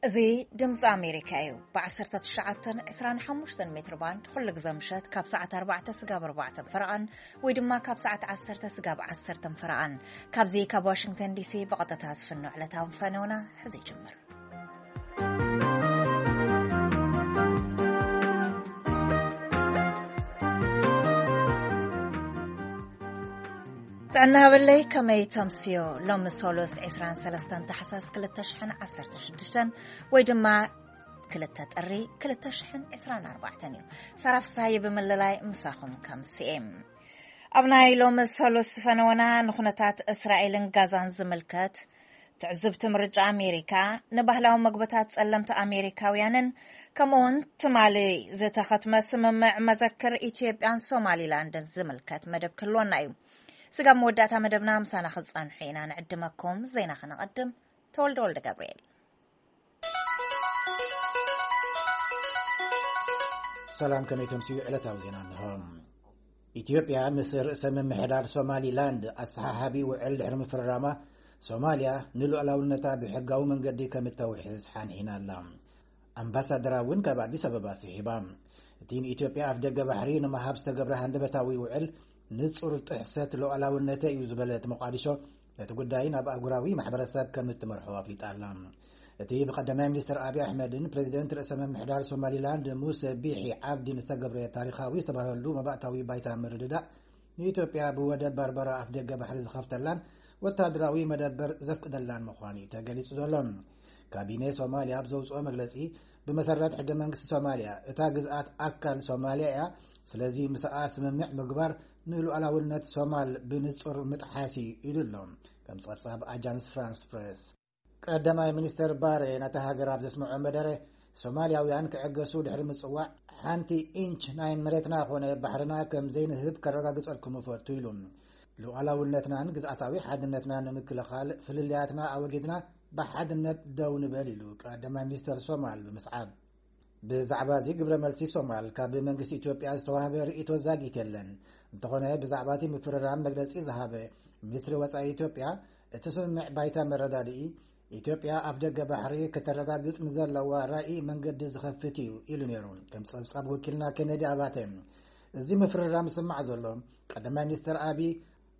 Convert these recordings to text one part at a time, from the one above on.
እዚ ድምፂ ኣሜሪካ እዩ። ብ19 25 ሜትር ባንድ ኩሉ ግዜ ምሸት ካብ ሰዓት ኣርባዕተ ስጋብ ኣርባዕተ ፈረቓን ወይ ድማ ካብ ሰዓት ዓሰርተ ስጋብ ዓሰርተ ፈረቓን፣ ካብዚ ካብ ዋሽንግተን ዲሲ ብቐጥታ ዝፍኖ ዕለታዊ ፈነውና ሕዚ ይጅምር። ጥዕና ሃበለይ፣ ከመይ ተምስዮ? ሎሚ ሶሉስ 23 ታሕሳስ 2016 ወይ ድማ 2 ጥሪ 2024 እዩ። ሳራ ፍስሃየ ብምልላይ ምሳኹም ከምስኤ። ኣብ ናይ ሎሚ ሶሉስ ፈነወና ንኹነታት እስራኤልን ጋዛን ዝምልከት፣ ትዕዝብቲ ምርጫ ኣሜሪካ፣ ንባህላዊ መግብታት ጸለምቲ ኣሜሪካውያንን ከምኡውን ትማሊ ዝተኸትመ ስምምዕ መዘክር ኢትዮጵያን ሶማሊላንድን ዝምልከት መደብ ክህልወና እዩ። ስጋብ መወዳእታ መደብና ምሳና ክትጸንሑ ኢና ንዕድመኩም። ዜና ከነቐድም። ተወልደ ወልደ ገብርኤል። ሰላም፣ ከመይ ተምስዩ? ዕለታዊ ዜና እንሆ። ኢትዮጵያ ምስ ርእሰ ምምሕዳር ሶማሊላንድ ኣሰሓሓቢ ውዕል ድሕሪ ምፍርራማ፣ ሶማልያ ንሉዓላውነታ ብሕጋዊ መንገዲ ከም እተውሕዝ ሓንሒና ኣላ። ኣምባሳደራ እውን ካብ ኣዲስ ኣበባ ስሒባ። እቲ ንኢትዮጵያ ኣፍ ደገ ባሕሪ ንምሃብ ዝተገብረ ሃንደበታዊ ውዕል ንጹር ጥሕሰት ሉዓላውነተ እዩ ዝበለት ሞቃዲሾ፣ ነቲ ጉዳይ ናብ ኣህጉራዊ ማሕበረሰብ ከም እትመርሖ ኣፍሊጣ ኣላ። እቲ ብቀዳማይ ሚኒስትር ኣብይ ኣሕመድን ፕሬዚደንት ርእሰ ምምሕዳር ሶማሊላንድ ሙሰ ቢሒ ዓብዲን ዝተገብረ ታሪኻዊ ዝተባህለሉ መባእታዊ ባይታ ምርድዳእ፣ ንኢትዮጵያ ብወደብ በርበራ ኣፍ ደገ ባሕሪ ዝኸፍተላን ወታደራዊ መደበር ዘፍቅደላን ምዃኑ እዩ ተገሊጹ ዘሎ። ካቢኔ ሶማልያ ኣብ ዘውጽኦ መግለጺ፣ ብመሰረት ሕገ መንግስቲ ሶማልያ፣ እታ ግዝኣት ኣካል ሶማልያ እያ። ስለዚ ምስኣ ስምምዕ ምግባር ንሉዓላውነት ሶማል ብንጹር ምጥሓስ እዩ ኢሉ ኣሎ፣ ከም ጸብጻብ ኣጃንስ ፍራንስ ፕሬስ። ቀዳማይ ሚኒስተር ባሬ ነታ ሃገር ኣብ ዘስምዖ መደረ፣ ሶማልያውያን ክዕገሱ ድሕሪ ምጽዋዕ፣ ሓንቲ ኢንች ናይ መሬትና ኾነ ባሕርና ከም ዘይንህብ ከረጋግጸልኩም እፈቱ ኢሉ። ሉዓላውነትናን ግዝኣታዊ ሓድነትናን ንምክልኻል ፍልልያትና ኣወጊድና ብሓድነት ደው ንበል ኢሉ ቀዳማይ ሚኒስተር ሶማል ብምስዓብ። ብዛዕባ እዚ ግብረ መልሲ ሶማል ካብ መንግስቲ ኢትዮጵያ ዝተዋህበ ርእይቶ ዛጊት የለን። እንተኾነ ብዛዕባ እቲ ምፍርራም መግለጺ ዝሃበ ሚኒስትሪ ወጻኢ ኢትዮጵያ፣ እቲ ስምምዕ ባይታ መረዳድኢ ኢትዮጵያ ኣፍ ደገ ባሕሪ ከተረጋግጽ ንዘለዋ ራኢ መንገዲ ዝኸፍት እዩ ኢሉ ነይሩ። ከም ጸብጻብ ወኪልና ኬነዲ ኣባተ፣ እዚ ምፍርራም ዝስማዕ ዘሎ ቀዳማይ ሚኒስትር ኣቢ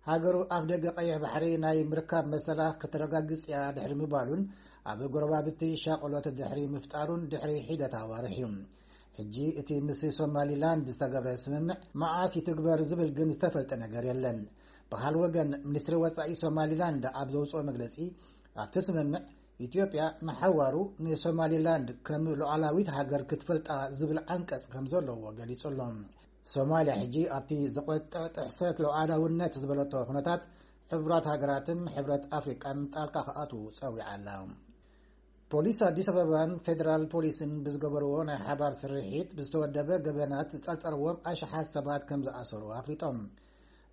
ሃገሩ ኣፍ ደገ ቀይሕ ባሕሪ ናይ ምርካብ መሰላ ከተረጋግጽ እያ ድሕሪ ምባሉን ኣብ ጎረባብቲ ሻቕሎት ድሕሪ ምፍጣሩን ድሕሪ ሒደት ኣዋርሕ እዩ። ሕጂ እቲ ምስ ሶማሊላንድ ዝተገብረ ስምምዕ መዓስ ይትግበር ዝብል ግን ዝተፈልጠ ነገር የለን። ብኻል ወገን፣ ሚኒስትሪ ወጻኢ ሶማሊላንድ ኣብ ዘውጽኦ መግለጺ፣ ኣብቲ ስምምዕ ኢትዮጵያ ንሓዋሩ ንሶማሊላንድ ከም ሉዓላዊት ሃገር ክትፈልጣ ዝብል ዓንቀጽ ከም ዘለዎ ገሊጹ ኣሎ። ሶማልያ ሕጂ ኣብቲ ዘቆጥዕ ጥሕሰት ሉዓላውነት ዝበለቶ ኩነታት፣ ሕቡራት ሃገራትን ሕብረት ኣፍሪቃን ጣልቃ ክኣትዉ ጸዊዓ ኣላ። ፖሊስ ኣዲስ ኣበባን ፌደራል ፖሊስን ብዝገበርዎ ናይ ሓባር ስርሒት፣ ብዝተወደበ ገበናት ዝጠርጠርዎም ኣሽሓት ሰባት ከም ዝኣሰሩ ኣፍሊጦም።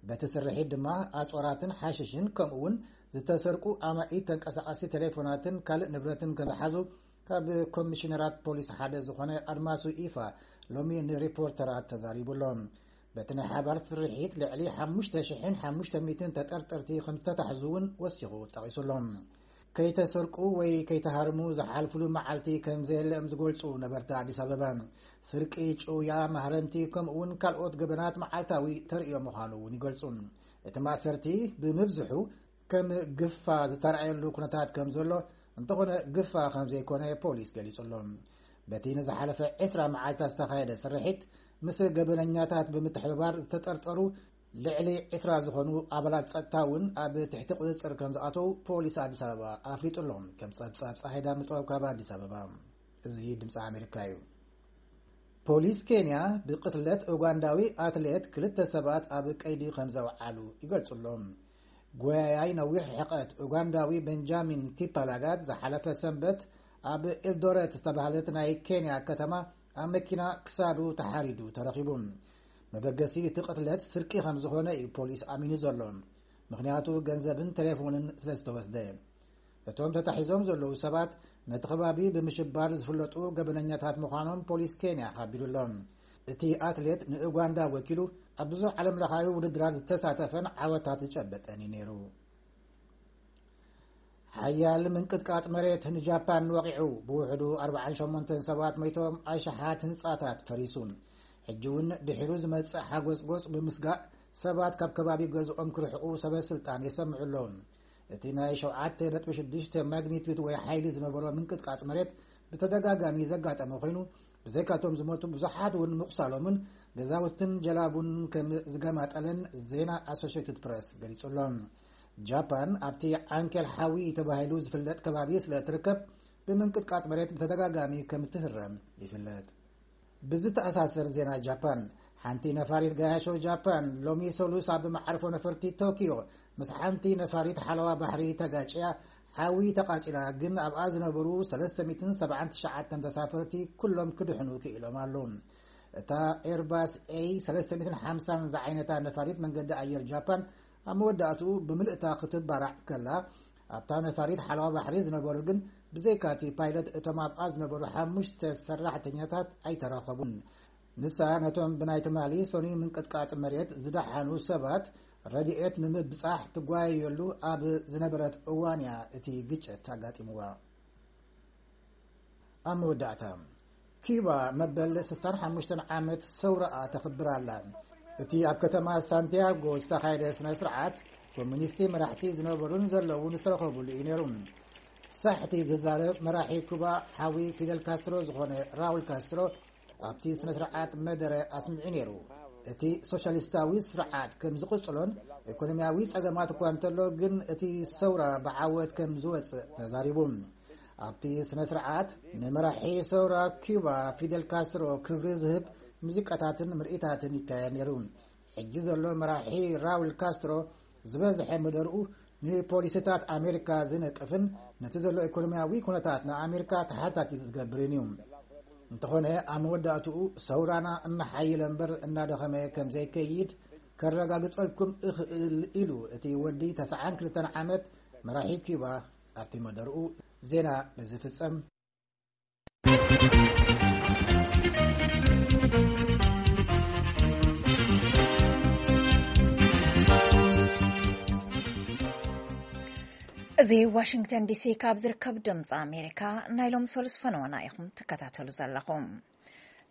በቲ ስርሒት ድማ ኣጽዋራትን ሓሽሽን ከምኡ እውን ዝተሰርቁ ኣማኢት ተንቀሳቐስቲ ቴሌፎናትን ካልእ ንብረትን ከም ዝሓዙ ካብ ኮሚሽነራት ፖሊስ ሓደ ዝኾነ ኣድማሱ ኢፋ ሎሚ ንሪፖርተራት ተዛሪቡ ኣሎ። በቲ ናይ ሓባር ስርሒት ልዕሊ ሓሙሽተ ሽሕን ሓሙሽተ ሚእትን ተጠርጠርቲ ከም ዝተታሕዙ እውን ወሲኹ ጠቒሱ ኣሎ። ከይተሰርቁ ወይ ከይተሃርሙ ዝሓልፉሉ መዓልቲ ከም ዘየለ እዮም ዝገልጹ ነበርቲ ኣዲስ ኣበባ። ስርቂ፣ ጭውያ፣ ማህረምቲ ከምኡ እውን ካልኦት ገበናት መዓልታዊ ተርእዮ ምዃኑ እውን ይገልጹ። እቲ ማእሰርቲ ብምብዝሑ ከም ግፋ ዝተረኣየሉ ኩነታት ከም ዘሎ፣ እንተኾነ ግፋ ከም ዘይኮነ ፖሊስ ገሊጹ ኣሎ። በቲ ንዝሓለፈ ዕስራ መዓልታት ዝተኻየደ ስርሒት፣ ምስ ገበነኛታት ብምትሕብባር ዝተጠርጠሩ ልዕሊ ዕስራ ዝኾኑ ኣባላት ጸጥታ እውን ኣብ ትሕቲ ቁጽጽር ከም ዝኣተዉ ፖሊስ ኣዲስ ኣበባ ኣፍሊጡ ኣሎ። ከም ጸብጻብ ጸሓይ ዳምጠው ካብ ኣዲስ ኣበባ። እዚ ድምፂ ኣሜሪካ እዩ። ፖሊስ ኬንያ ብቅትለት ኡጋንዳዊ ኣትሌት ክልተ ሰባት ኣብ ቀይዲ ከም ዘውዓሉ ይገልጹ ኣሎ። ጎያያይ ነዊሕ ርሕቀት ኡጋንዳዊ ቤንጃሚን ኪፕላጋት ዝሓለፈ ሰንበት ኣብ ኤልዶረት ዝተባህለት ናይ ኬንያ ከተማ ኣብ መኪና ክሳዱ ተሓሪዱ ተረኺቡ። መበገሲ እቲ ቅትለት ስርቂ ከም ዝኾነ እዩ ፖሊስ ኣሚኑ ዘሎ። ምኽንያቱ ገንዘብን ቴሌፎንን ስለ ዝተወስደ። እቶም ተታሒዞም ዘለዉ ሰባት ነቲ ከባቢ ብምሽባር ዝፍለጡ ገበነኛታት ምዃኖም ፖሊስ ኬንያ ሓቢሩ ኣሎ። እቲ ኣትሌት ንኡጋንዳ ወኪሉ ኣብ ብዙሕ ዓለምለኻዊ ውድድራት ዝተሳተፈን ዓወታት ዝጨበጠን እዩ ነይሩ። ሓያል ምንቅጥቃጥ መሬት ንጃፓን ወቒዑ፣ ብውሕዱ ኣርባዓን ሸሞንተን ሰባት ሞይቶም፣ ኣሽሓት ህንጻታት ፈሪሱ። ሕጂ እውን ድሒሩ ዝመጽእ ሓጎጽጎጽ ብምስጋእ፣ ሰባት ካብ ከባቢ ገዝኦም ክርሕቑ ሰበ ስልጣን የሰምዑ ኣለዉ። እቲ ናይ ሸውዓተ ነጥቢ ሽዱሽተ ማግኒቱድ ወይ ሓይሊ ዝነበሮ ምንቅጥቃጥ መሬት ብተደጋጋሚ ዘጋጠመ ኮይኑ፣ ብዘይካቶም ዝሞቱ ብዙሓት እውን ምቑሳሎምን ገዛውትን ጀላቡን ከም ዝገማጠለን ዜና ኣሶሽየትድ ፕረስ ገሊጹ ኣሎ። ጃፓን ኣብቲ ዓንኬል ሓዊ ተባሂሉ ዝፍለጥ ከባቢ ስለ እትርከብ፣ ብምንቅጥቃጥ መሬት ብተደጋጋሚ ከም እትህረም ይፍለጥ። ብዝተኣሳሰር ዜና ጃፓን፣ ሓንቲ ነፋሪት ጋያሾ ጃፓን ሎሚ ሰሉስ ኣብ መዓርፎ ነፈርቲ ቶኪዮ ምስ ሓንቲ ነፋሪት ሓለዋ ባሕሪ ተጋጭያ ሓዊ ተቓጺላ፣ ግን ኣብኣ ዝነበሩ ሰለስተ ሚእትን ሰብዓን ትሽዓተን ተሳፈርቲ ኩሎም ክድሕኑ ክኢሎም ኣለዉ። እታ ኤርባስ ኤ ሰለስተ ሚእትን ሓምሳን ዝዓይነታ ነፋሪት መንገዲ ኣየር ጃፓን ኣብ መወዳእትኡ ብምልእታ ክትባራዕ ከላ፣ ኣብታ ነፋሪት ሓለዋ ባሕሪ ዝነበሩ ግን ብዘይካቲ ፓይለት እቶም ኣብኣ ዝነበሩ ሓሙሽተ ሰራሕተኛታት ኣይተረኸቡን። ንሳ ነቶም ብናይ ትማሊ ሶኒ ምንቅጥቃጥ መሬት ዝደሓኑ ሰባት ረድኤት ንምብጻሕ ትጓየየሉ ኣብ ዝነበረት እዋን እያ እቲ ግጭት ኣጋጢምዋ። ኣብ መወዳእታ፣ ኪዩባ መበል ስሳን ሓሙሽተን ዓመት ሰውራኣ ተኽብር ኣላ። እቲ ኣብ ከተማ ሳንቲያጎ ዝተኻየደ ስነ ስርዓት፣ ኮሙኒስቲ መራሕቲ ዝነበሩን ዘለውን ዝተረኸቡሉ እዩ ነይሩ። ሳሕቲ ዝዛረብ መራሒ ኩባ ሓዊ ፊደል ካስትሮ ዝኾነ ራውል ካስትሮ ኣብቲ ስነ ስርዓት መደረ ኣስሚዑ ነይሩ። እቲ ሶሻሊስታዊ ስርዓት ከም ዝቕጽሎን ኢኮኖሚያዊ ጸገማት እኳ እንተሎ፣ ግን እቲ ሰውራ ብዓወት ከም ዝወጽእ ተዛሪቡ። ኣብቲ ስነ ስርዓት ንመራሒ ሰውራ ኪዩባ ፊደል ካስትሮ ክብሪ ዝህብ ሙዚቃታትን ምርኢታትን ይካየድ ነይሩ። ሕጂ ዘሎ መራሒ ራውል ካስትሮ ዝበዝሐ መደርኡ ንፖሊሲታት ኣሜሪካ ዝነቅፍን ነቲ ዘሎ ኢኮኖሚያዊ ኩነታት ንኣሜሪካ ተሓታቲት ዝገብርን እዩ። እንተኾነ፣ ኣብ መወዳእትኡ ሰውራና እናሓየለ እምበር እናደኸመ ከም ዘይከይድ ከረጋግጸልኩም እኽእል ኢሉ እቲ ወዲ ተስዓን ክልተን ዓመት መራሒ ኪዩባ ኣብቲ መደርኡ። ዜና በዚ ፍጸም። እዚ ዋሽንግተን ዲሲ ካብ ዝርከብ ድምፂ ኣሜሪካ ናይ ሎም ሰሉስ ፈነወና ኢኹም ትከታተሉ ዘለኹም።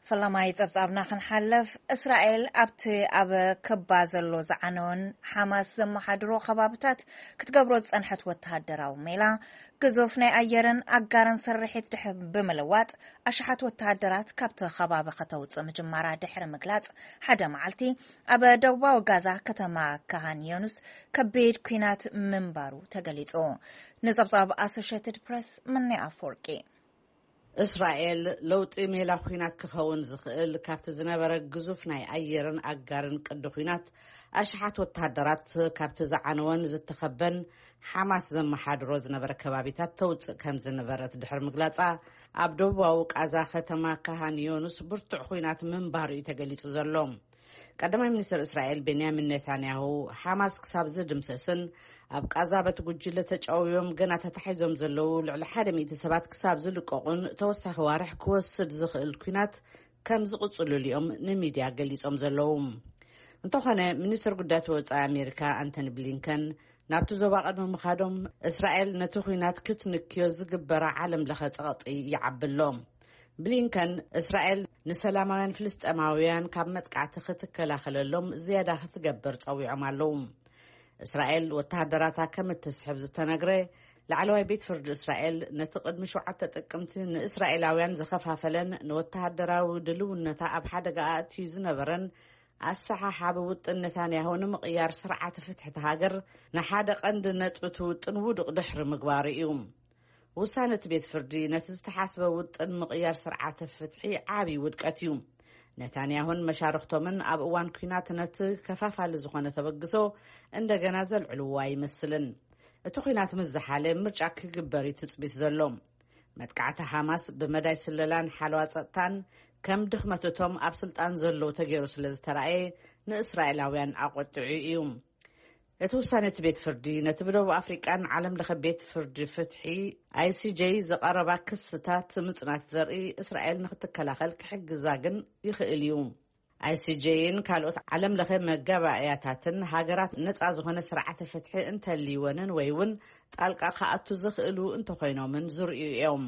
ፈላማይ ጸብጻብና ክንሓልፍ፣ እስራኤል ኣብቲ ኣብ ክባ ዘሎ ዝዓነወን ሓማስ ዘመሓድሮ ከባብታት ክትገብሮ ዝጸንሐት ወተሃደራዊ ሜላ፣ ግዙፍ ናይ ኣየርን ኣጋርን ስርሒት ድሕር ብምልዋጥ፣ ኣሽሓት ወተሃደራት ካብቲ ከባቢ ከተውጽእ ምጅማራ ድሕሪ ምግላጽ፣ ሓደ መዓልቲ ኣብ ደቡባዊ ጋዛ ከተማ ካሃን ዮኑስ ከቢድ ኲናት ምንባሩ ተገሊጹ። ንጸብጻብ ኣሶሽየትድ ፕረስ፣ ምኒ ኣፈወርቂ። እስራኤል ለውጢ ሜላ ኲናት ክኸውን ዝኽእል ካብቲ ዝነበረ ግዙፍ ናይ ኣየርን ኣጋርን ቅዲ ኲናት፣ ኣሽሓት ወተሃደራት ካብቲ ዝዓነወን ዝተኸበን ሓማስ ዘመሓድሮ ዝነበረ ከባቢታት ተውጽእ ከም ዝነበረት ድሕሪ ምግላጻ፣ ኣብ ደቡባዊ ቃዛ ከተማ ካሃን ዮኑስ ብርቱዕ ኲናት ምንባሩ እዩ ተገሊጹ ዘሎ። ቀዳማይ ሚኒስትር እስራኤል ቤንያሚን ኔታንያሁ፣ ሓማስ ክሳብ ዝድምሰስን ኣብ ቃዛ በቲ ጉጅለ ተጨውዮም ገና ተታሒዞም ዘለዉ ልዕሊ ሓደ ሚእቲ ሰባት ክሳብ ዝልቀቑን ተወሳኺ ዋርሕ ክወስድ ዝኽእል ኲናት ከም ዝቕጽሉሉ እዮም ንሚድያ ገሊጾም ዘለዉ። እንተኾነ፣ ሚኒስትር ጉዳያት ወጻኢ ኣሜሪካ ኣንቶኒ ብሊንከን ናብቲ ዞባ ቅድሚ ምኻዶም፣ እስራኤል ነቲ ኲናት ክትንክዮ ዝግበራ ዓለም ለኸ ጸቕጢ ይዓቢ ኣሎ። ብሊንከን፣ እስራኤል ንሰላማውያን ፍልስጤማውያን ካብ መጥቃዕቲ ክትከላኸለሎም ዝያዳ ክትገብር ጸዊዖም ኣለዉ። እስራኤል ወተሃደራታ ከም እትስሕብ ዝተነግረ ላዕለዋይ ቤት ፍርዲ እስራኤል፣ ነቲ ቅድሚ ሸውዓተ ጥቅምቲ ንእስራኤላውያን ዝኸፋፈለን ንወተሃደራዊ ድልውነታ ኣብ ሓደጋ ኣእትዩ ዝነበረን ኣሰሓሓቢ ውጥን ነታንያሁ ንምቕያር ስርዓተ ፍትሒ እታ ሃገር ንሓደ ቀንዲ ነጥቢ እቲ ውጥን ውዱቕ ድሕሪ ምግባሩ እዩ። ውሳነ እቲ ቤት ፍርዲ ነቲ ዝተሓስበ ውጥን ምቕያር ስርዓተ ፍትሒ ዓቢ ውድቀት እዩ። ነታንያሁን መሻርኽቶምን ኣብ እዋን ኲናት ነቲ ከፋፋሊ ዝኾነ ተበግሶ እንደገና ዘልዕልዎ ኣይመስልን። እቲ ኲናት ምስ ዝሓለ ምርጫ ክግበር እዩ ትጽቢት ዘሎ። መጥቃዕቲ ሓማስ ብመዳይ ስለላን ሓለዋ ጸጥታን ከም ድኽመት እቶም ኣብ ስልጣን ዘለዉ ተገይሩ ስለ ዝተራእየ ንእስራኤላውያን ኣቖጢዑ እዩ። እቲ ውሳነ እቲ ቤት ፍርዲ ነቲ ብደቡብ ኣፍሪቃን ዓለም ለኸ ቤት ፍርዲ ፍትሒ ኣይ ሲ ጀይ ዝቐረባ ክስታት ምጽናት ዘርኢ እስራኤል ንክትከላኸል ክሕግዛ ግን ይኽእል እዩ። ኣይሲጄይን ካልኦት ዓለም ለኸ መጋባእያታትን ሃገራት ነጻ ዝኾነ ስርዓተ ፍትሒ እንተልይወንን ወይ እውን ጣልቃ ክኣቱ ዝኽእሉ እንተኾይኖምን ዝርእዩ እዮም።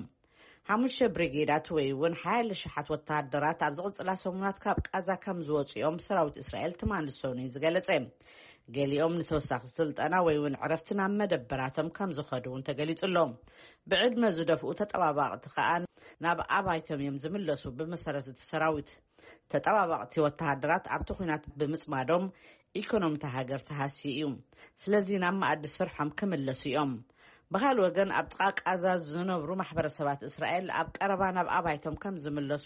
ሓሙሽተ ብሪጌዳት ወይ እውን ሓያለ ሽሓት ወተሃደራት ኣብ ዝቕጽላ ሰሙናት ካብ ቃዛ ከም ዝወፁ እዮም ሰራዊት እስራኤል ትማሊ ሰኑይ ዝገለጸ። ገሊኦም ንተወሳኺ ስልጠና ወይ እውን ዕረፍቲ ናብ መደበራቶም ከም ዝኸዱ እውን ተገሊጹ ኣሎ። ብዕድመ ዝደፍኡ ተጠባባቕቲ ከኣ ናብ ኣባይቶም እዮም ዝምለሱ። ብመሰረት እቲ ሰራዊት፣ ተጠባባቕቲ ወተሃደራት ኣብቲ ኲናት ብምጽማዶም ኢኮኖሚ እታ ሃገር ተሃስዩ እዩ። ስለዚ ናብ መኣዲ ስርሖም ክምለሱ እዮም። ብኻልእ ወገን፣ ኣብ ጥቓ ቃዛ ዝነብሩ ማሕበረሰባት እስራኤል ኣብ ቀረባ ናብ ኣባይቶም ከም ዝምለሱ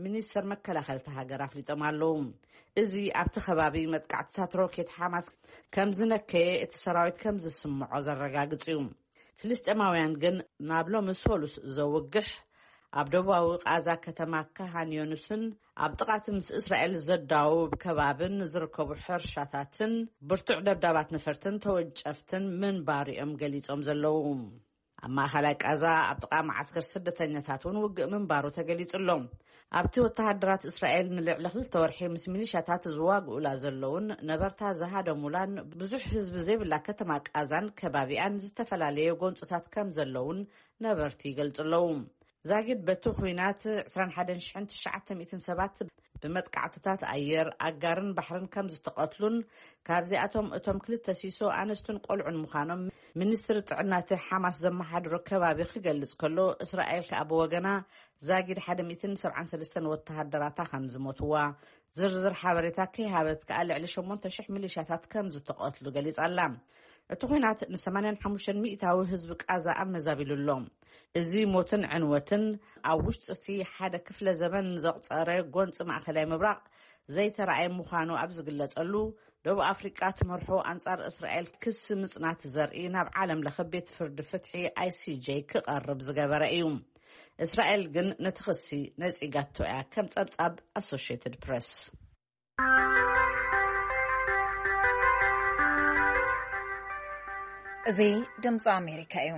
ሚኒስተር መከላኸሊ እታ ሃገር ኣፍሊጦም ኣለዉ። እዚ ኣብቲ ከባቢ መጥቃዕትታት ሮኬት ሓማስ ከም ዝነከየ እቲ ሰራዊት ከም ዝስምዖ ዘረጋግጽ እዩ። ፍልስጤማውያን ግን ናብ ሎሚ ሰሉስ ዘውግሕ ኣብ ደቡባዊ ቃዛ ከተማ ካሃን ዮኑስን ኣብ ጥቓቲ ምስ እስራኤል ዘዳውብ ከባብን ዝርከቡ ሕርሻታትን ብርቱዕ ደብዳባት ነፈርትን ተወንጨፍትን ምንባር እዮም ገሊጾም ዘለዉ። ኣብ ማእኸላይ ቃዛ ኣብ ጥቓ መዓስከር ስደተኛታት እውን ውግእ ምንባሩ ተገሊጹ ኣሎ። ኣብቲ ወተሃደራት እስራኤል ንልዕሊ ክልተ ወርሒ ምስ ሚሊሻታት ዝዋግኡላ ዘለውን ነበርታ ዝሃደሙላን ብዙሕ ህዝቢ ዘይብላ ከተማ ቃዛን ከባቢኣን ዝተፈላለየ ጎንፅታት ከም ዘለውን ነበርቲ ይገልጹ ኣለዉ። ዛጊድ በቲ ኲናት ዕስራን ሓደን ሽሕን ትሽዓተ ሚእትን ሰባት ብመጥቃዕትታት ኣየር፣ ኣጋርን ባሕርን ከም ዝተቐትሉን ካብዚኣቶም እቶም ክልተ ሲሶ ኣንስትን ቆልዑን ምዃኖም ሚኒስትሪ ጥዕና እቲ ሓማስ ዘመሓድሮ ከባቢ ክገልጽ ከሎ፣ እስራኤል ከኣ ብወገና ዛጊድ ሓደ ሚእትን ሰብዓን ሰለስተን ወተሃደራታ ከም ዝሞትዋ፣ ዝርዝር ሓበሬታ ከይሃበት ከኣ ልዕሊ ሸሞንተ ሽሕ ሚሊሻታት ከም ዝተቐትሉ ገሊጻ ኣላ። እቲ ኲናት ንሰማንያን ሓሙሽተን ሚእታዊ ህዝቢ ቃዛ ኣመዛቢሉ ኣሎ። እዚ ሞትን ዕንወትን ኣብ ውሽጢ እቲ ሓደ ክፍለ ዘመን ዘቑጸረ ጎንፂ ማእከላይ ምብራቕ ዘይተረኣየ ምዃኑ ኣብ ዝግለጸሉ፣ ደቡብ ኣፍሪቃ ትመርሖ ኣንጻር እስራኤል ክሲ ምጽናት ዘርኢ ናብ ዓለም ለኸ ቤት ፍርዲ ፍትሒ ኣይሲጄ ክቐርብ ዝገበረ እዩ። እስራኤል ግን ነቲ ክሲ ነጺጋቶ እያ፣ ከም ጸብጻብ ኣሶሽየትድ ፕረስ። እዚ ድምፂ ኣሜሪካ እዩ።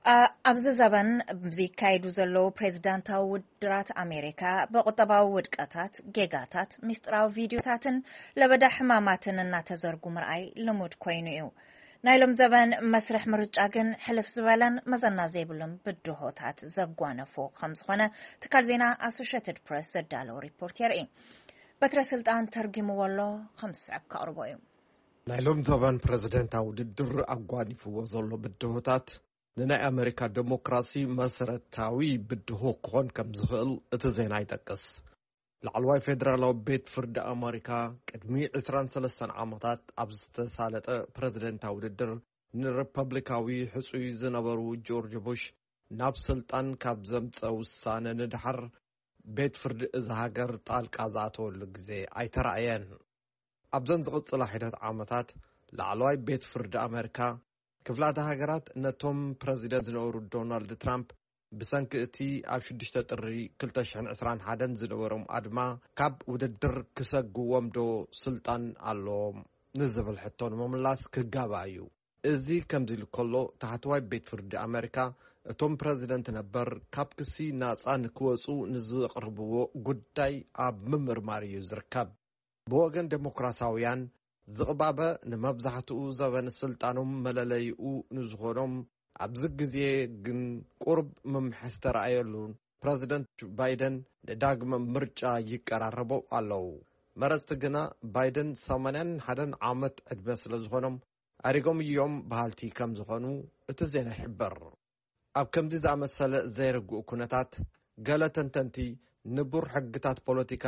ኣ-፣ ኣብዚ ዘበን ዝካየዱ ዘለዉ ፕሬዚዳንታዊ ውድድራት ኣሜሪካ ብቁጠባዊ ውድቀታት፣ ጌጋታት፣ ሚስጥራዊ ቪድዮታትን ለበዳ ሕማማትን እናተዘርጉ ምርኣይ ልሙድ ኮይኑ እዩ። ናይ ሎም ዘበን መስርሕ ምርጫ ግን ሕልፍ ዝበለን መዘና ዘይብሉን ብድሆታት ዘጓነፎ ከም ዝኾነ ትካል ዜና ኣሶሽየትድ ፕሬስ ዘዳለዎ ሪፖርት የርኢ። በትረ ስልጣን ተርጊምዎ ኣሎ፣ ከም ዝስዕብ ከቕርቦ እዩ። ናይ ሎም ዘበን ፕረዚደንታዊ ውድድር ኣጓኒፍዎ ዘሎ ብድሆታት ንናይ ኣመሪካ ዴሞክራሲ መሰረታዊ ብድሆ ክኾን ከም ዝኽእል እቲ ዜና ይጠቅስ። ላዕለዋይ ፌደራላዊ ቤት ፍርዲ ኣመሪካ ቅድሚ ዕስራን ሰለስተን ዓመታት ኣብ ዝተሳለጠ ፕረዚደንታዊ ውድድር ንሪፐብሊካዊ ሕጹይ ዝነበሩ ጆርጅ ቡሽ ናብ ስልጣን ካብ ዘምጸ ውሳነ ንድሓር ቤት ፍርዲ እዛ ሃገር ጣልቃ ዝኣተወሉ ግዜ ኣይተራእየን። ኣብዘን ዝቕጽላ ሒደት ዓመታት ላዕለዋይ ቤት ፍርዲ ኣመሪካ ክፍላተ ሃገራት ነቶም ፕረዚደንት ዝነበሩ ዶናልድ ትራምፕ ብሰንኪ እቲ ኣብ ሽዱሽተ ጥሪ ክልተ ሽሕን ዕስራን ሓደን ዝነበሮም ኣድማ ካብ ውድድር ክሰግዎም ዶ ስልጣን ኣለዎም ንዝብል ሕቶ ንምምላስ ክጋባእ እዩ። እዚ ከምዚ ኢሉ ከሎ፣ ታሕተዋይ ቤት ፍርዲ ኣመሪካ እቶም ፕረዚደንት ነበር ካብ ክሲ ናጻ ንክወጹ ንዘቕርብዎ ጉዳይ ኣብ ምምርማር እዩ ዝርከብ። ብወገን ዴሞክራሲያውያን ዝቕባበ ንመብዛሕትኡ ዘበን ስልጣኖም መለለይኡ ንዝኾኖም ኣብዚ ግዜ ግን ቁሩብ ምምሐ ዝተረኣየሉ ፕረዚደንት ባይደን ንዳግመ ምርጫ ይቀራረቡ ኣለዉ። መረጽቲ ግና ባይደን ሰማንያን ሓደን ዓመት ዕድመ ስለ ዝኾኖም ኣሪጎም እዮም በሃልቲ ከም ዝኾኑ እቲ ዜና ይሕብር። ኣብ ከምዚ ዝኣመሰለ ዘይርጉእ ኩነታት፣ ገለ ተንተንቲ ንቡር ሕግታት ፖለቲካ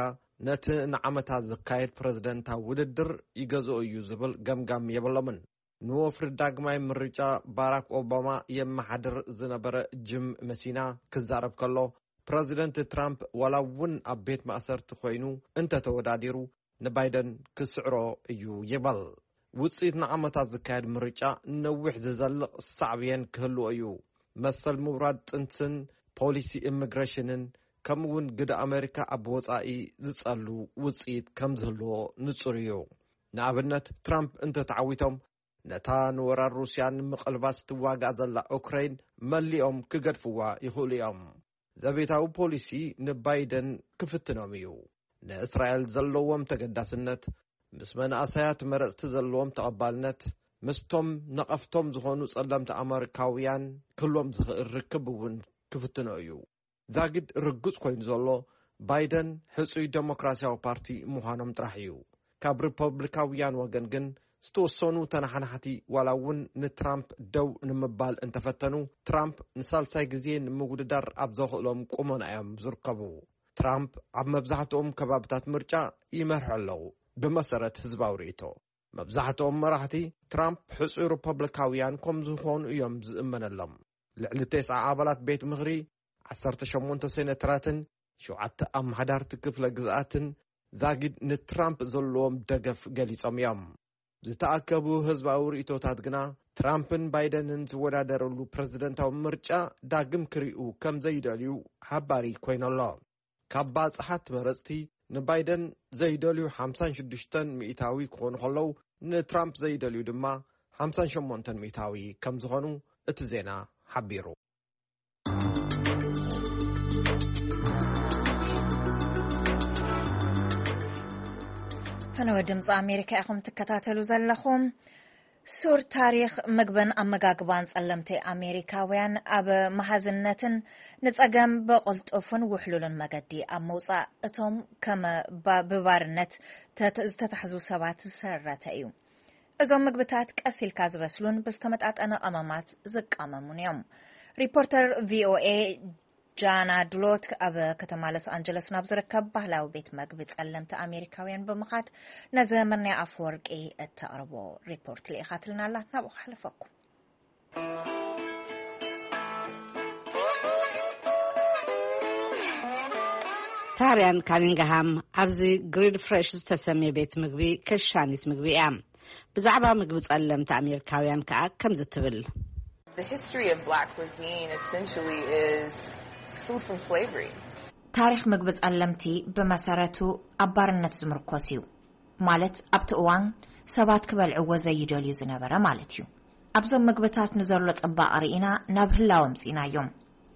ነቲ ንዓመታት ዝካየድ ፕረዚደንታዊ ውድድር ይገዝኦ እዩ ዝብል ገምጋም የብሎምን። ንወፍሪ ዳግማይ ምርጫ ባራክ ኦባማ የመሓድር ዝነበረ ጂም መሲና ክዛረብ ከሎ፣ ፕረዚደንት ትራምፕ ዋላ እውን ኣብ ቤት ማእሰርቲ ኮይኑ እንተተወዳዲሩ ንባይደን ክስዕሮ እዩ ይበል። ውፅኢት ንዓመታት ዝካየድ ምርጫ ነዊሕ ዝዘልቕ ሳዕብየን ክህልዎ እዩ። መሰል ምውራድ ጥንስን ፖሊሲ ኢሚግሬሽንን ከምኡ እውን ግደ ኣሜሪካ ኣብ ወፃኢ ዝፀሉ ውፅኢት ከም ዝህልዎ ንፁር እዩ። ንኣብነት ትራምፕ እንተተዓዊቶም ነታ ንወራር ሩስያ ንምቕልባስ ትዋጋእ ዘላ ኡክረይን መሊኦም ክገድፍዋ ይኽእሉ እዮም። ዘቤታዊ ፖሊሲ ንባይደን ክፍትኖም እዩ። ንእስራኤል ዘለዎም ተገዳስነት፣ ምስ መናእሰያት መረጽቲ ዘለዎም ተቐባልነት፣ ምስቶም ነቐፍቶም ዝኾኑ ጸለምቲ ኣመሪካውያን ክህልዎም ዝኽእል ርክብ እውን ክፍትኖ እዩ። ዛጊድ ርጉጽ ኮይኑ ዘሎ፣ ባይደን ሕጹይ ደሞክራሲያዊ ፓርቲ ምዃኖም ጥራሕ እዩ። ካብ ሪፐብሊካውያን ወገን ግን ዝተወሰኑ ተነሓናሕቲ ዋላ እውን ንትራምፕ ደው ንምባል እንተፈተኑ፣ ትራምፕ ንሳልሳይ ግዜ ንምውድዳር ኣብ ዘኽእሎም ቁመና እዮም ዝርከቡ። ትራምፕ ኣብ መብዛሕትኦም ከባብታት ምርጫ ይመርሑ ኣለዉ። ብመሰረት ህዝባዊ ርእይቶ፣ መብዛሕትኦም መራሕቲ ትራምፕ ሕጹይ ሪፐብሊካውያን ከም ዝኾኑ እዮም ዝእመነሎም። ልዕሊ ተስዓ ኣባላት ቤት ምኽሪ፣ ዓሰርተ ሸሞንተ ሴኔተራትን ሸውዓተ ኣመሓዳርቲ ክፍለ ግዝኣትን ዛጊድ ንትራምፕ ዘለዎም ደገፍ ገሊጾም እዮም። ዝተኣከቡ ህዝባዊ ርእይቶታት ግና፣ ትራምፕን ባይደንን ዝወዳደርሉ ፕረዚደንታዊ ምርጫ ዳግም ክሪኡ ከም ዘይደልዩ ሓባሪ ኮይኑ ኣሎ። ካብ ባጽሓት መረጽቲ፣ ንባይደን ዘይደልዩ ሓምሳን ሽዱሽተን ሚእታዊ ክኾኑ ከለዉ፣ ንትራምፕ ዘይደልዩ ድማ ሓምሳን ሸሞንተን ሚእታዊ ከም ዝኾኑ እቲ ዜና ሓቢሩ። ፈነወ ድምፂ ኣሜሪካ ኢኹም ትከታተሉ ዘለኹም። ሱር ታሪኽ ምግብን ኣመጋግባን ጸለምቲ ኣሜሪካውያን ኣብ መሃዝነትን ንጸገም ብቕልጡፍን ውሕሉልን መገዲ ኣብ ምውጻእ እቶም ከም ባ-፣ ብባርነት ተት-፣ ዝተታሕዙ ሰባት ዝሰረተ እዩ። እዞም ምግብታት ቀስ ኢልካ ዝበስሉን ብዝተመጣጠነ ቀመማት ዝቃመሙን እዮም። ሪፖርተር ቪ ኦ ኤ ጃና ድሎት ኣብ ከተማ ሎስ ኣንጀለስ ናብ ዝርከብ ባህላዊ ቤት መግቢ ጸለምቲ ኣሜሪካውያን ብምኻድ ነዚ መርንያ ኣፈወርቂ እተቕርቦ ሪፖርት ልኢኻትልና ኣላ። ናብኡ ክሓልፈኩም። ታርያን ካኒንግሃም ኣብዚ ግሪል ፍሬሽ ዝተሰምየ ቤት ምግቢ ከሻኒት ምግቢ እያ። ብዛዕባ ምግቢ ጸለምቲ ኣሜሪካውያን ከኣ ከምዚ ትብል። The history of black cuisine essentially is food from slavery. ታሪኽ ምግቢ ጸለምቲ ብመሰረቱ ኣብ ባርነት ዝምርኮስ እዩ። ማለት ኣብቲ እዋን ሰባት ክበልዕዎ ዘይደልዩ ዝነበረ ማለት እዩ። ኣብዞም ምግብታት ንዘሎ ጽባቐ ርኢና ናብ ህላወ ኣምጺእናዮም።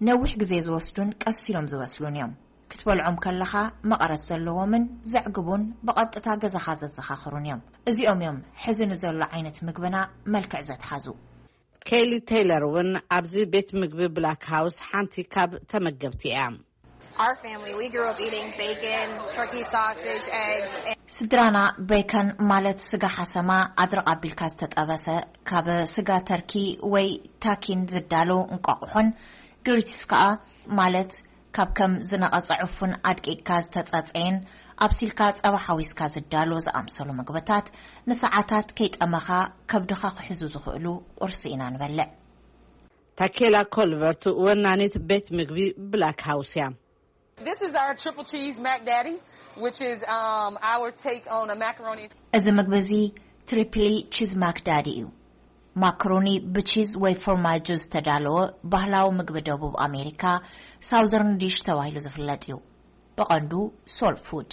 ነዊሕ ግዜ ዝወስዱን ቀስ ኢሎም ዝበስሉን እዮም። ክትበልዖም ከለኻ መቐረት ዘለዎምን ዘዕግቡን ብቐጥታ ገዛኻ ዘዘኻኽሩን እዮም። እዚኦም እዮም ሕዚ ንዘሎ ዓይነት ምግብና መልክዕ ዘትሓዙ። ኬሊ ቴይለር እውን ኣብዚ ቤት ምግቢ ብላክ ሃውስ ሓንቲ ካብ ተመገብቲ እያ። Our family, we grew up eating bacon, turkey sausage, eggs, and ስድራና ቤከን ማለት ስጋ ሓሰማ ኣድረቕ ኣቢልካ ዝተጠበሰ ካብ ስጋ ተርኪ ወይ ታኪን ዝዳሎ እንቋቑሖን ግሪትስ ከኣ ማለት ካብ ከም ዝነቐጸ ዕፉን ኣድቂቕካ ዝተጸጸየን ኣብሲልካ ጸባ ሓዊስካ ዝዳሎ ዝኣምሰሉ ምግብታት ንሰዓታት ከይጠመኻ ከብድኻ ክሕዙ ዝኽእሉ ቁርሲ ኢና ንበልዕ። ታኬላ ኮልቨርት ወናኒት ቤት ምግቢ ብላክ ሃውስ እያ። This is our triple cheese mac daddy, which is, um, our take on a macaroni. እዚ ምግቢ እዚ ትሪፕሊ ቺዝ ማክ ዳዲ እዩ። ማክሮኒ ብቺዝ ወይ ፎርማጆ ዝተዳለወ ባህላዊ ምግቢ ደቡብ ኣሜሪካ፣ ሳውዘርን ዲሽ ተባሂሉ ዝፍለጥ እዩ። ብቐንዱ ሶል ፉድ።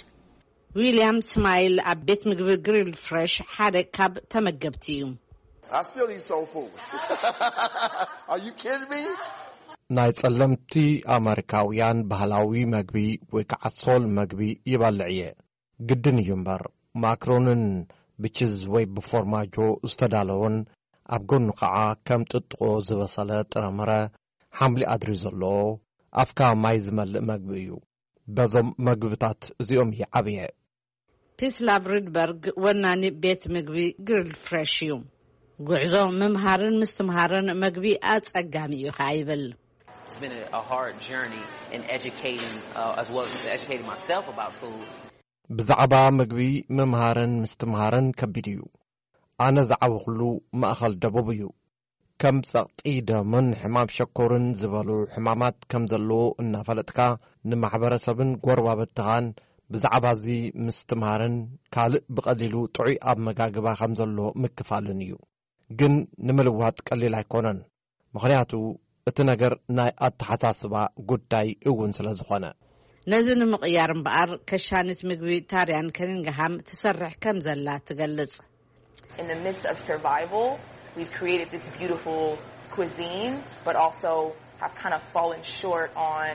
ዊልያም ስማይል ኣብ ቤት ምግቢ ግሪል ፍሬሽ ሓደ ካብ ተመገብቲ እዩ። I still eat soul food. Are you kidding me? ናይ ጸለምቲ ኣመሪካውያን ባህላዊ መግቢ ወይ ከዓ ሶል መግቢ ይበልዕ እየ። ግድን እዩ እምበር፣ ማክሮንን ብቺዝ ወይ ብፎርማጆ ዝተዳለወን ኣብ ጎኑ ከዓ ከም ጥጥቆ ዝበሰለ ጥረምረ፣ ሓምሊ ኣድሪ ዘለዎ፣ ኣፍካ ማይ ዝመልእ መግቢ እዩ። በዞም መግብታት እዚኦም እየ ዓብየ። ፒስላቭ ሪድበርግ ወናኒ ቤት ምግቢ ግሪልድ ፍሬሽ እዩ። ጉዕዞ ምምሃርን ምስትምሃርን መግቢ ኣጸጋሚ እዩ ከኣ ይብል። It's been a, a hard journey in educating, uh, as well as educating myself about food. ብዛዕባ ምግቢ ምምሃርን ምስትምሃርን ከቢድ እዩ። ኣነ ዝዓበኹሉ ማእኸል ደቡብ እዩ። ከም ጸቕጢ ደምን ሕማም ሸኮርን ዝበሉ ሕማማት ከም ዘለዎ እናፈለጥካ፣ ንማሕበረሰብን ጎረባብትኻን ብዛዕባ እዚ ምስትምሃርን ካልእ ብቐሊሉ ጥዑይ ኣመጋግባ ከም ዘሎ ምክፋልን እዩ። ግን ንምልዋጥ ቀሊል ኣይኮነን። ምኽንያቱ እቲ ነገር ናይ ኣተሓሳስባ ጉዳይ እውን ስለ ዝኾነ። ነዚ ንምቕያር እምበኣር፣ ከሻኒት ምግቢ ታርያን ከኒንግሃም ትሰርሕ ከም ዘላ ትገልጽ። In the midst of survival, we've created this beautiful cuisine, but also have kind of fallen short on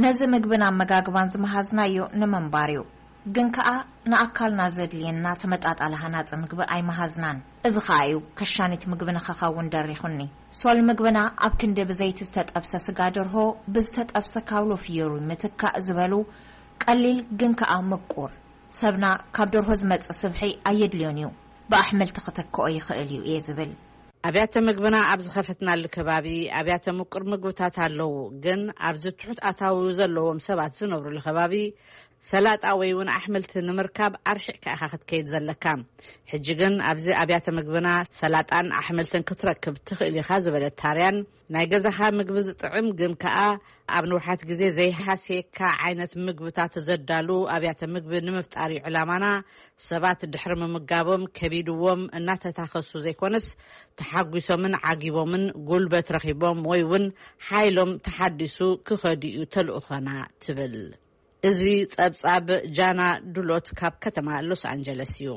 ነዚ ምግብን ኣመጋግባን ዝመሃዝናዮ ንምንባር እዩ። ግን ከኣ ንኣካልና ዘድልየና ተመጣጣሊ ሃናጺ ምግቢ ኣይመሃዝናን። እዚ ኸኣ እዩ ከሻኒት ምግቢ ንኸኸውን ደሪኹኒ። ሶል ምግብና ኣብ ክንዲ ብዘይቲ ዝተጠብሰ ስጋ ደርሆ፣ ብዝተጠብሰ ካውሎ ፍዮሪ ምትካእ ዝበሉ ቀሊል ግን ከኣ ምቁር። ሰብና ካብ ደርሆ ዝመጽእ ስብሒ ኣየድልዮን እዩ። ብኣሕምልቲ ክተክኦ ይኽእል እዩ እየ ዝብል። ኣብያተ ምግብና ኣብ ዝኸፈትናሉ ከባቢ ኣብያተ ምቁር ምግብታት ኣለዉ፣ ግን ኣብዚ ትሑት ኣታዊ ዘለዎም ሰባት ዝነብሩሉ ከባቢ ሰላጣ ወይ እውን ኣሕምልቲ ንምርካብ ኣርሒቕካ ኢኻ ክትከይድ ዘለካ። ሕጂ ግን ኣብዚ ኣብያተ ምግብና ሰላጣን ኣሕምልትን ክትረክብ ትኽእል ኢኻ ዝበለት ታርያን፣ ናይ ገዛኻ ምግቢ ዝጥዕም ግን ከኣ ኣብ ንውሓት ግዜ ዘይሃስየካ ዓይነት ምግብታት ዘዳሉ ኣብያተ ምግቢ ንምፍጣር እዩ ዕላማና። ሰባት ድሕሪ ምምጋቦም ከቢድዎም እናተታኸሱ ዘይኮነስ፣ ተሓጒሶምን ዓጊቦምን ጉልበት ረኺቦም ወይ እውን ሓይሎም ተሓዲሱ ክኸዱ እዩ ተልእኾና ትብል። እዚ ጸብጻብ ጃና ዱሎት ካብ ከተማ ሎስ ኣንጀለስ እዩ።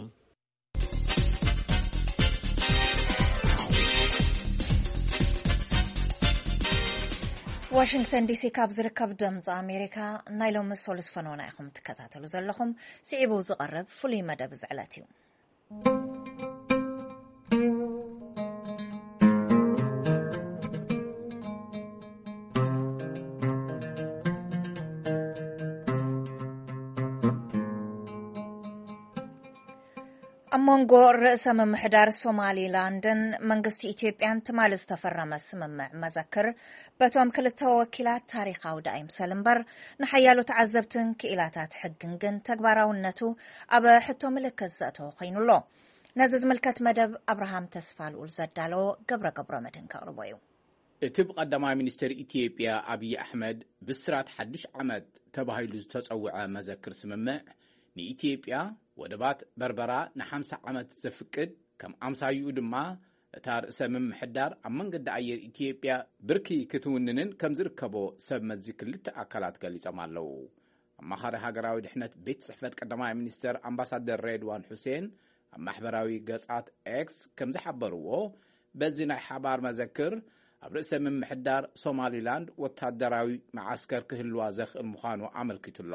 ዋሽንግተን ዲሲ ካብ ዝርከብ ድምፂ ኣሜሪካ ናይ ሎሚ ሶሉስ ፈነወና ኢኹም ትከታተሉ ዘለኹም። ስዒቡ ዝቐርብ ፍሉይ መደብ እዚ ዕለት እዩ። ኣብ መንጎ ርእሰ ምምሕዳር ሶማሊላንድን መንግስቲ ኢትዮጵያን ትማሊ ዝተፈረመ ስምምዕ መዘክር፣ በቶም ክልተ ወኪላት ታሪኻዊ ዳኣ ይምሰል እምበር፣ ንሓያሎ ተዓዘብትን ክኢላታት ሕግን ግን ተግባራውነቱ ኣብ ሕቶ ምልክት ዘእተወ ኮይኑ ኣሎ። ነዚ ዝምልከት መደብ ኣብርሃም ተስፋ ልኡል ዘዳለዎ ገብረ ገብረ መድህን ከቕርቦ እዩ። እቲ ብቐዳማይ ሚኒስትር ኢትዮጵያ ኣብይ ኣሕመድ ብስራት ሓዱሽ ዓመት ተባሂሉ ዝተጸውዐ መዘክር ስምምዕ፣ ንኢትዮጵያ ወደባት በርበራ ንሓምሳ ዓመት ዘፍቅድ፣ ከም ኣምሳይኡ ድማ እታ ርእሰ ምምሕዳር ኣብ መንገዲ ኣየር ኢትዮጵያ ብርኪ ክትውንንን ከም ዝርከቦ ሰብ መዚ ክልተ ኣካላት ገሊጾም ኣለዉ። ኣማኻሪ ሃገራዊ ድሕነት ቤት ጽሕፈት ቀዳማይ ሚኒስተር ኣምባሳደር ሬድዋን ሑሴን ኣብ ማሕበራዊ ገጻት ኤክስ ከም ዝሓበርዎ፣ በዚ ናይ ሓባር መዘክር ኣብ ርእሰ ምምሕዳር ሶማሊላንድ ወታደራዊ መዓስከር ክህልዋ ዘኽእል ምዃኑ ኣመልኪቱ ኣሎ።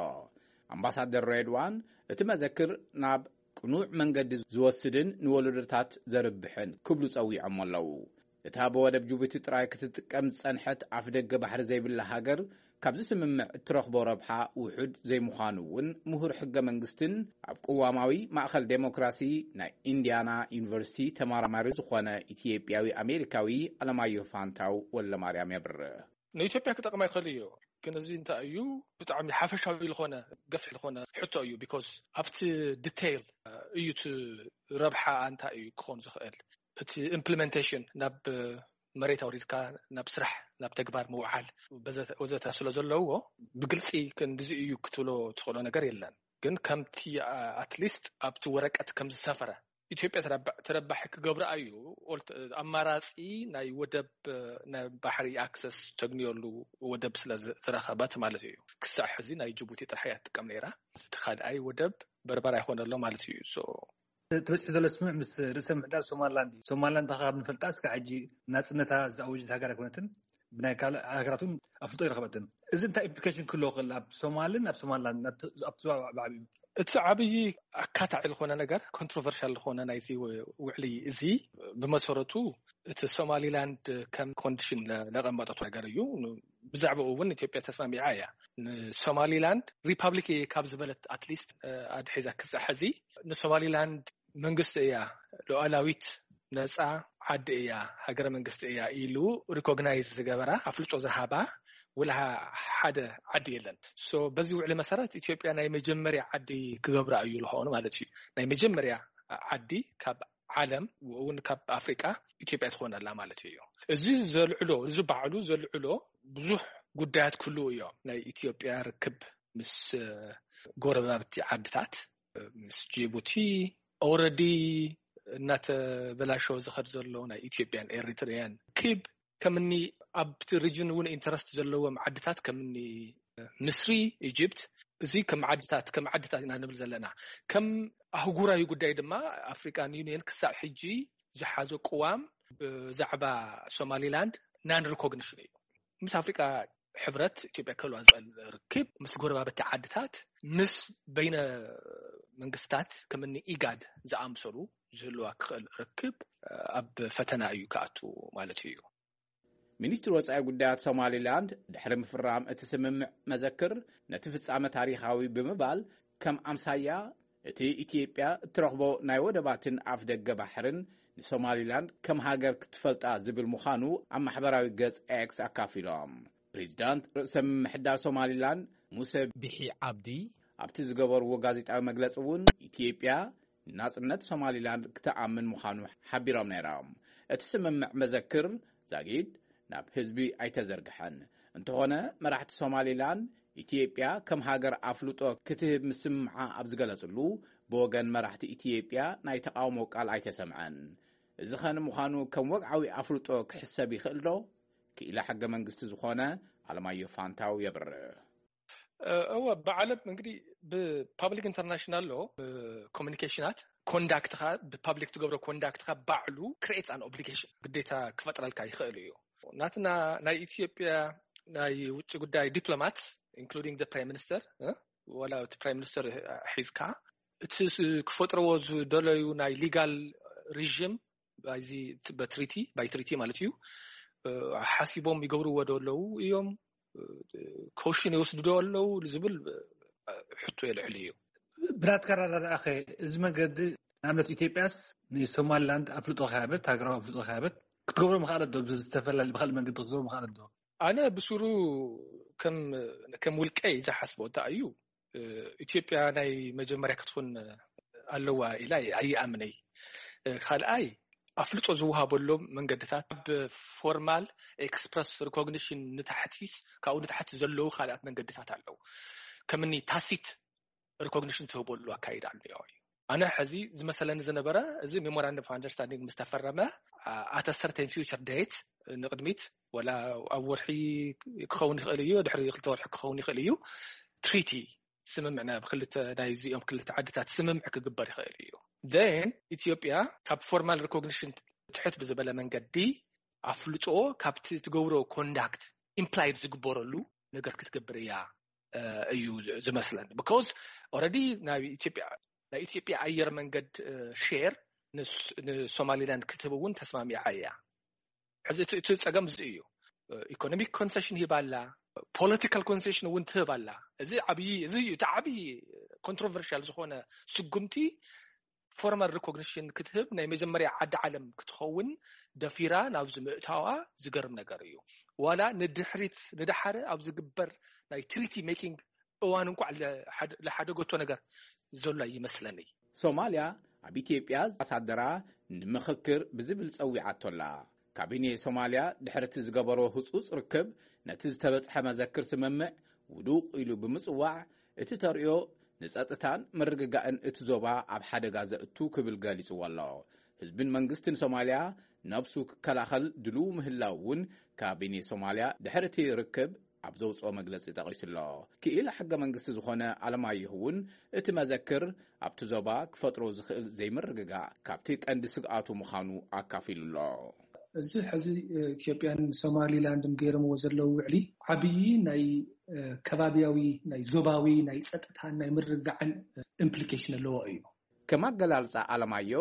ኣምባሳደር ሬድዋን፣ እቲ መዘክር ናብ ቅኑዕ መንገዲ ዝወስድን ንወለዶታት ዘርብሕን ክብሉ ጸዊዖም ኣለዉ። እታ ብወደብ ጅቡቲ ጥራይ ክትጥቀም ዝጸንሐት ኣፍደገ ባሕሪ ዘይብላ ሃገር፣ ካብዚ ስምምዕ እትረኽቦ ረብሓ ውሑድ ዘይምዃኑ እውን ምሁር ሕገ መንግስትን ኣብ ቅዋማዊ ማእከል ዴሞክራሲ ናይ ኢንዲያና ዩኒቨርሲቲ ተመራማሪ ዝኾነ ኢትዮጵያዊ ኣሜሪካዊ ኣለማየሁ ፋንታው ወልደማርያም የብርህ። ንኢትዮጵያ ክጠቕማ ይኽእል እዩ፣ ግን እዚ እንታይ እዩ? ብጣዕሚ ሓፈሻዊ ዝኾነ፣ ገፊሕ ዝኾነ ሕቶ እዩ። ቢኮዝ ኣብቲ ዲቴይል እዩ እቲ ረብሓ እንታይ እዩ ክኾን ዝኽእል፣ እቲ ኢምፕሊመንቴሽን ናብ መሬት ኣውሪድካ ናብ ስራሕ፣ ናብ ተግባር ምውዓል በዘተ-፣ ወዘተ ስለ ዘለዎ፣ ብግልፂ ክንድዚ እዩ ክትብሎ ትኽእሎ ነገር የለን። ግን ከምቲ ኣትሊስት ኣብቲ ወረቀት ከም ዝሰፈረ፣ ኢትዮጵያ ተረባ-፣ ተረባሒ ክገብራ እዩ። ኦልት-፣ ኣማራፂ ናይ ወደብ፣ ናይ ባሕሪ ኣክሰስ ተግንየሉ ወደብ ስለ ዝ-፣ ዝረኸበት ማለት እዩ። ክሳዕ ሕዚ ናይ ጅቡቲ ጥራሕ እያ ትጥቀም ነይራ። እቲ ካልኣይ ወደብ በርበራ ይኾነ ኣሎ ማለት እዩ። ሶ ተበፂሑ ዘሎ ስምምዕ ምስ ርእሰ ምምሕዳር ሶማልላንድ እዩ። ሶማልላንድ ካብ ንፈልጣ እስካብ ሕጂ ናፅነታ ዝኣወጀት ሃገር ኣይኮነትን። ብናይ ካልእ ሃገራት እውን ኣፍልጦ ይረኸበትን። እዚ እንታይ ኢምፕሊኬሽን ክህልዎ ይኽእል ኣብ ሶማልን ኣብ ሶማልላንድ፣ ኣብቲ፣ ኣብቲ ዞባ ብዓብዩ? እቲ ዓብዪ ኣካታዒ ዝኾነ ነገር፣ ኮንትሮቨርሻል ዝኾነ ናይዚ ው-፣ ውዕሊ እዚ፣ ብመሰረቱ እቲ ሶማሊላንድ ከም ኮንዲሽን ለ-፣ ለቐመጠቱ ነገር እዩ። ን-፣ ብዛዕባኡ እውን ኢትዮጵያ ተስማሚዓ እያ። ንሶማሊላንድ ሪፓብሊክ እየ ካብ ዝበለት ኣትሊስት፣ እ፣ ኣድሒዛ ክሳዕ ሕዚ ንሶማሊላንድ መንግስቲ እያ፣ ሉዓላዊት ነፃ ዓዲ እያ፣ ሃገረ መንግስቲ እያ ኢሉ ሪኮግናይዝ ዝገበራ፣ ኣፍልጦ ዝሃባ ወላ ሓደ ዓዲ የለን። ሶ በዚ ውዕሊ መሰረት ኢትዮጵያ ናይ መጀመርያ ዓዲ ክገብራ እዩ ዝኾኑ ማለት እዩ። ናይ መጀመርያ ዓዲ ካብ ዓለም፣ እውን ካብ ኣፍሪቃ ኢትዮጵያ ትኾነላ ማለት እዩ። እዚ ዘልዕሎ፣ እዚ ባዕሉ ዘልዕሎ ብዙሕ ጉዳያት ክህልዉ እዮም። ናይ ኢትዮጵያ ርክብ ምስ፣ እ፣ ጎረባብቲ ዓድታት፣ እ፣ ምስ ጅቡቲ ኦልሬዲ እናተበላሸወ ዝኸድ ዘሎ ናይ ኢትዮጵያን ኤሪትሪያን ርክብ፣ ከምኒ ኣብቲ ሪጅን እውን ኢንተረስት ዘለዎም ዓድታት ከምኒ፣ እ፣ ምስሪ፣ ኢጅፕት፣ እዚ ከም ዓድታት፣ ከም ዓድታት ኢና ንብል ዘለና። ከም ኣህጉራዊ ጉዳይ ድማ ኣፍሪካን ዩኒየን ክሳብ ሕጂ ዝሓዞ ቅዋም ብዛዕባ ሶማሊላንድ ናን ሪኮግኒሽን እዩ። ምስ ኣፍሪቃ ሕብረት ኢትዮጵያ ክህልዋ ዝኽእል ርክብ ምስ ጎረባብቲ ዓድታት፣ ምስ በይነ መንግስታት ከምኒ ኢጋድ ዝኣምሰሉ ዝህልዋ ክኽእል ርክብ ኣብ ፈተና እዩ ክኣቱ ማለት እዩ። ሚኒስትሪ ወጻኢ ጉዳያት ሶማሊላንድ ድሕሪ ምፍራም እቲ ስምምዕ መዘክር ነቲ ፍጻመ ታሪኻዊ ብምባል ከም ኣምሳያ እቲ ኢትዮጵያ እትረኽቦ ናይ ወደባትን ኣፍ ደገ ባሕርን ንሶማሊላንድ ከም ሃገር ክትፈልጣ ዝብል ምዃኑ ኣብ ማሕበራዊ ገጽ ኤክስ ኣካፊሎም። ፕሬዚዳንት ርእሰ ምምሕዳር ሶማሊላንድ ሙሰ ቢሒ ዓብዲ ኣብቲ ዝገበርዎ ጋዜጣዊ መግለጺ እውን ኢትዮጵያ ንናጽነት ሶማሊላንድ ክትኣምን ምዃኑ ሓቢሮም ነይሮም። እቲ ስምምዕ መዘክር ዛጊድ ናብ ህዝቢ ኣይተዘርግሐን። እንተኾነ መራሕቲ ሶማሊላንድ ኢትዮጵያ ከም ሃገር ኣፍልጦ ክትህብ ምስምዓ ኣብ ዝገለጽሉ ብወገን መራሕቲ ኢትዮጵያ ናይ ተቓውሞ ቃል ኣይተሰምዐን። እዚ ኸ ንምዃኑ ከም ወግዓዊ ኣፍልጦ ክሕሰብ ይኽእል ዶ? ክኢላ ሕገ መንግስቲ ዝኾነ ኣለማዮ ፋንታው የብርህ። እወ፣ ብዓለም እንግዲህ ብፓብሊክ ኢንተርናሽናል ሎ ኮሚኒኬሽናት ኮንዳክትኻ ብፓብሊክ ትገብሮ ኮንዳክትኻ ባዕሉ ክሬትስ ኣን ኦብሊጌሽን ግዴታ ክፈጥረልካ ይኽእል እዩ። ናትና ናይ ኢትዮጵያ ናይ ውጭ ጉዳይ ዲፕሎማት ኢንክሉዲንግ ፕራይም ሚኒስተር ወላ እቲ ፕራይም ሚኒስተር ሒዝካ እቲ ክፈጥረዎ ዝደለዩ ናይ ሊጋል ሪዥም ባይዚ በትሪቲ ባይ ትሪቲ ማለት እዩ ሓሲቦም ይገብርዎ ዶ ኣለዉ እዮም ኮሽን ይወስዱ ዶ ኣለዉ ዝብል ሕቶ የልዕል እዩ። ብናትካ ኣረዳድኣኸ እዚ መንገዲ ንኣብነት ኢትዮጵያስ ንሶማሊላንድ ኣፍልጦ ከያበት ሃገራዊ ኣፍልጦ ከያበት ክትገብሮ ምኽኣለት ዶ ብዝተፈላለዩ ብካልእ መንገዲ ክትገብሮ ምኽኣለት ዶ? ኣነ ብሱሩ ከም ከም ውልቀይ ዝሓስቦ እንታይ እዩ ኢትዮጵያ ናይ መጀመርያ ክትኾን ኣለዋ ኢላ ኣይኣምነይ። ካልኣይ ኣፍልጦ ዝወሃበሎም መንገድታት ብፎርማል ኤክስፕረስ ሪኮግኒሽን ንታሕቲስ ካብኡ ንታሕቲ ዘለዉ ካልኣት መንገድታት ኣለዉ። ከምኒ ታሲት ሪኮግኒሽን ትህበሉ ኣካይዳ ኣሎ እዩ። ኣነ ሕዚ ዝመሰለኒ ዝነበረ እዚ ሜሞራንደም ኦፍ ኣንደርስታንዲንግ ምስ ተፈረመ ኣተ ሰርተን ፊውቸር ዴት ንቅድሚት ወላ ኣብ ወርሒ ክኸውን ይኽእል እዩ፣ ድሕሪ ክልተ ወርሒ ክኸውን ይኽእል እዩ። ትሪቲ ስምምዕ ናብ ክልተ ናይዚኦም ክልተ ዓድታት ስምምዕ ክግበር ይኽእል እዩ። ን ኢትዮጵያ ካብ ፎርማል ሪኮግኒሽን ትሕት ብዝበለ መንገዲ ኣፍልጦ ካብቲ ትገብሮ ኮንዳክት ኢምፕላይድ ዝግበረሉ ነገር ክትገብር እያ እዩ ዝመስለኒ። ብካውዝ ኦረዲ ናይ ኢትዮጵያ ናይ ኢትዮጵያ ኣየር መንገድ ሼር ንሶማሊላንድ ክትህብ እውን ተስማሚዓ እያ። ሕዚ እቲ ጸገም እዚ እዩ። ኢኮኖሚክ ኮንሴሽን ሂባ ኣላ፣ ፖለቲካል ኮንሴሽን እውን ትህብ ኣላ። እዚ ዓብዪ እዚ እዩ እቲ ዓብዪ ኮንትሮቨርሻል ዝኾነ ስጉምቲ ፎርማል ሪኮግኒሽን ክትህብ ናይ መጀመርያ ዓዲ ዓለም ክትኸውን ደፊራ ናብዚ ምእታዋ ዝገርም ነገር እዩ። ዋላ ንድሕሪት ንድሓረ ኣብ ዝግበር ናይ ትሪቲ ሜኪንግ እዋን እንኳዕ ለሓደገቶ ነገር ዘሎ ይመስለኒ። ሶማልያ ኣብ ኢትዮጵያ ኣምባሳደራ ንምኽክር ብዝብል ጸዊዓቶ ኣላ። ካቢኔ ሶማልያ ድሕሪ እቲ ዝገበሮ ህጹጽ ርክብ ነቲ ዝተበጽሐ መዘክር ስምምዕ ውዱቕ ኢሉ ብምጽዋዕ እቲ ተርእዮ ንጸጥታን ምርግጋእን እቲ ዞባ ኣብ ሓደጋ ዘእቱ ክብል ገሊጽዎ ኣሎ። ህዝብን መንግስትን ሶማልያ ነብሱ ክከላኸል ድልው ምህላው እውን ካቢኔ ሶማልያ ድሕሪ እቲ ርክብ ኣብ ዘውፅኦ መግለፂ ጠቒሱ ኣሎ። ክኢላ ሕገ መንግስቲ ዝኾነ ኣለማየሁ እውን እቲ መዘክር ኣብቲ ዞባ ክፈጥሮ ዝኽእል ዘይምርግጋእ ካብቲ ቀንዲ ስግኣቱ ምዃኑ ኣካፊሉ ኣሎ። እዚ ሕዚ ኢትዮጵያን ሶማሊላንድን ገይሮምዎ ዘለዉ ውዕሊ ዓብዪ ናይ ከባቢያዊ ናይ ዞባዊ ናይ ፀጥታን ናይ ምርግጋዕን ኢምፕሊኬሽን ኣለዎ እዩ። ከም ኣገላልፃ ኣለማዮ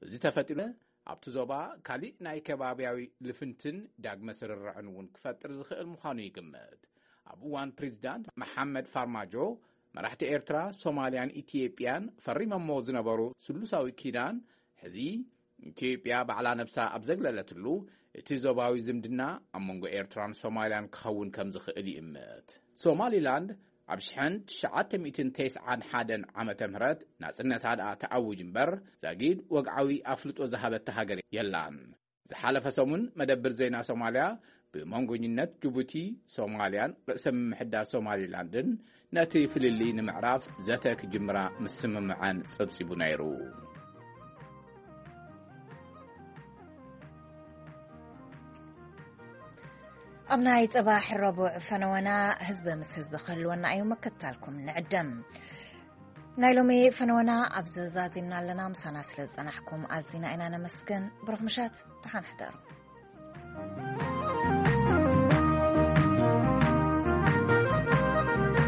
እዚ ተፈጢሩ ኣብቲ ዞባ ካሊእ ናይ ከባቢያዊ ልፍንትን ዳግመ ስርርዕን እውን ክፈጥር ዝኽእል ምዃኑ ይግምት። ኣብ እዋን ፕሬዚዳንት መሓመድ ፋርማጆ መራሕቲ ኤርትራ፣ ሶማልያን ኢትዮጵያን ፈሪሞሞ ዝነበሩ ስሉሳዊ ኪዳን ሕዚ ኢትዮጵያ ባዕላ ነብሳ ኣብ ዘግለለትሉ እቲ ዞባዊ ዝምድና ኣብ መንጎ ኤርትራን ሶማልያን ክኸውን ከም ዝኽእል ይእምት። ሶማሊላንድ ኣብ ሽሕን ትሽዓተ ሚእትን ተስዓን ሓደን ዓመተ ምህረት ናጽነታ ደኣ ተኣውጅ እምበር ዛጊድ ወግዓዊ ኣፍልጦ ዝሃበታ ሃገር የላን። ዝሓለፈ ሰሙን መደብር ዜና ሶማልያ ብመንጎኝነት ጅቡቲ፣ ሶማልያን ርእሰ ምምሕዳር ሶማሊላንድን ነቲ ፍልልይ ንምዕራፍ ዘተ ክጅምራ ምስምምዐን ጸብጺቡ ነይሩ። ኣብ ናይ ጽባሕ ረቡዕ ፈነወና ህዝቢ ምስ ህዝቢ ክህልወና እዩ። ምክትታልኩም ንዕደም። ናይ ሎሚ ፈነወና ኣብዚ ዛዚምና ኣለና። ምሳና ስለ ዝጸናሕኩም ኣዚና ኢና ነመስግን። ብሩኽ ምሸት፣ ደሓን ሕደሩ።